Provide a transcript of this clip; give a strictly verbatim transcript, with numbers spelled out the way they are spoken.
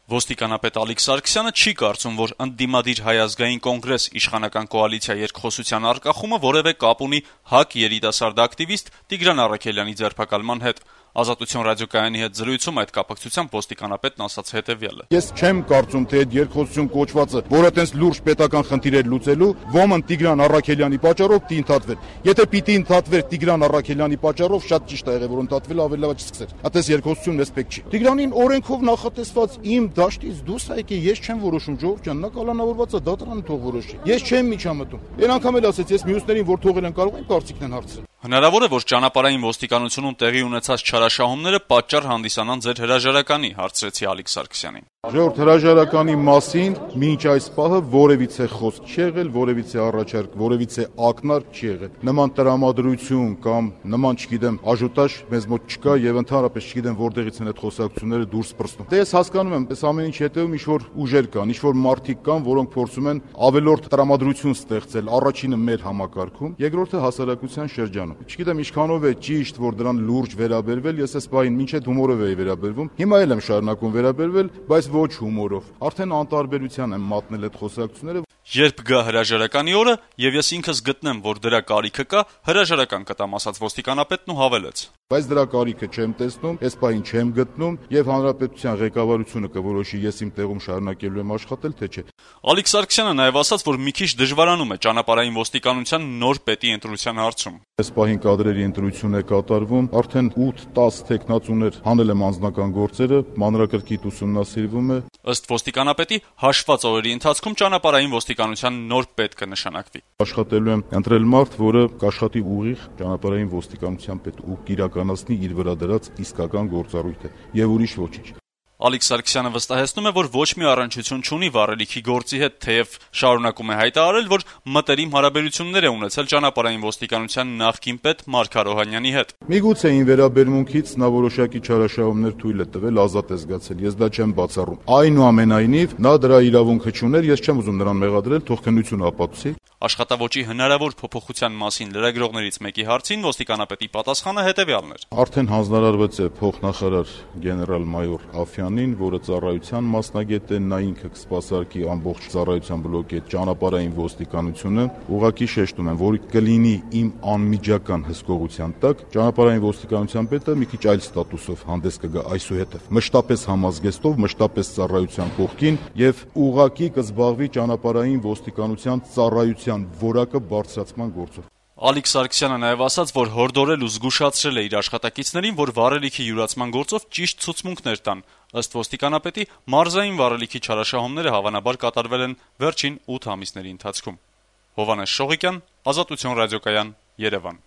Ոստիկանապետ Ալիկ Սարգսյանը չի կարծում, որ ընդդիմադիր Հայ ազգային կոնգրես իշխանական կոալիցիա երկխոսության առկախումը որևէ կապ ունի ՀԱԿ երիտասարդ ակտիվիստ Տիգրան Առաքելյանի ձերբակալման հետ։ Ազատություն ռադիոկայանի հետ զրույցում այդ կապակցությամբ ոստիկանապետն ասաց հետևյալը. Ես չեմ կարծում, թե այդ երկխոսություն կոչվածը, որը տենց լուրջ պետական խնդիրեր լուծելու, ոմն Տիգրան Առաքելյանի պատճառով պիտի ընդհատվեր։ Եթե պիտի ընդհատվեր Տիգրան Առաքելյանի պատճառով, շատ ճիշտ է եղել, որ ընդհատվել ավելի լավ չսկսեր։ Այդպես երկխոսություն էսպեք չի։ Տիգրանին օրենքով նախատեսված իմ դաշտից դուրս է եկել, ես չեմ որոշում, ժողովուրդ ջան, նա կալանավորված է, դատարանը թող որոշի։ Ես չեմ միջամտում։ Այն անգամ էլ ասեց, ես մյուսներին որ թողել են կարող են կարծիքն են հարցրել։ Հնարավոր է, որ ճանապարհային ոստիկանությունում տեղի ունեցած չարաշահումները պատճառ հանդիսանան ձեր հրաժարականի, հարցրեցի Ալիկ Սարգսյանին։ Ժողովուրդ, հրաժարականի մասին մինչ այս պահը որևիցե խոսք չի եղել, որևիցե առաջարկ, որևիցե ակնարկ չի եղել։ Նման տրամադրություն կամ նման, չգիտեմ, աժուտաժ մեզ մոտ չկա եւ ընդհանրապես չգիտեմ որտեղից են այդ խոսակցությունները դուրս պրծնում։ Դե ես հասկանում եմ, այս ամեն ինչ հետեւում ինչ-որ ուժեր կան, ինչ-որ մարդիկ կան, որոնք փորձում են ավելորդ տրամադրություն ստեղծել, առաջինը մեր համակարգում, երկրորդը հասարակության շրջանում։ Չգիտեմ ինչքանով է ճիշտ, որ դրան լուրջ վերաբերվել, ես այս պահին մինչև հումորով էի վերաբերվում։ Հիմա էլ եմ շարունակում վերաբերվել, բայց ոչ հումորով։ Արդեն անտարբերության եմ մատնել այդ խոսակցությունները։ Երբ գա հրաժարականի օրը, եւ ես ինքս գտնեմ, որ դրա կարիքը կա, հրաժարական կտամ, ասաց ոստիկանապետն ու հավելեց. Բայց դրա կարիքը չեմ տեսնում, այս պահին չեմ գտնում եւ հանրապետության ղեկավարությունը կորոշի ես իմ տեղում շարունակելու եմ աշխատել, թե չէ։ Ալիկ Սարգսյանը նաեւ ասաց, որ մի քիչ դժվարանում է ճանապարհային ոստիկանության նոր պետի ընտրության հարցում։ Այս պահին կադրերի ընտրություն է կատարվում, արդեն ութ-տասը տեխնացուներ հանել եմ անձնական գործերը, մանրակրկիտ ուսումնասիրվում է։ Ըստ ոստիկանապետի, հաշված օրերի ընթացքում ճանապարհային ոստիկանության նոր պետ կնշանակվի։ Աշխատելու եմ ընտրել մարդ, որը կաշխատի ուղիղ ճանապարհային ոստիկանության պետ ու կիրականացնի իր վրա դրած իսկական գործառույթը եւ ուրիշ ոչինչ։ Ալիկ Սարգսյանը վստահեցնում է, որ ոչ մի առնչություն չունի վառելիքի գործի հետ, թեև շարունակում է հայտարարել, որ մտերիմ հարաբերություններ է ունեցել ճանապարհային ոստիկանության նախկին պետ Մարկ Արոհանյանի հետ։ Միգուցե ին վերաբերմունքից նա որոշակի չարաշահումներ թույլ է տվել, ազատ է զգացել, ես դա չեմ բացառում։ Այնուամենայնիվ նա դրա իրավունքը չուներ, ես չեմ ուզում նրան մեղադրել, թող քննությունը ապացուցի։ Աշխատավոճի հնարավոր փոփոխության մասին լրագրողներից մեկի հարցին ոստիկանապետի պատասխանը հետևյալն էր. Արդեն հանձնարարված է փոխնախարար գեներալ-մայոր Աֆյանին, որը ծառայության մասնագետ է, նա ինքը կսպասարկի ամբողջ ծառայության բլոկի ճանապարհային ոստիկանությունը։ Ուղղակի շեշտում եմ, որ կլինի իմ անմիջական հսկողության տակ, ճանապարհային ոստիկանության պետը մի քիչ այլ ստատուսով հանդես կգա այսուհետև, մշտապես համազգեստով, մշտապես ծառայության կողքին եւ ուղղակի կզբաղվի ճանապարհային ոստիկանության ծառայության որակը բարձրացման գործով։ Ալիկ Սարգսյանը նաև ասաց, որ հորդորել ու զգուշացրել է իր աշխատակիցներին, որ վառելիքի յուրացման գործով ճիշտ ցուցմունքներ տան։ Ըստ ոստիկանապետի, մարզային վառելիքի չարաշահումները հավանաբար կատարվել են վերջին ութ ամիսների ընթացքում։ Հովհաննես Շողիկյան, Ազատություն ռադիոկայան, Երևան։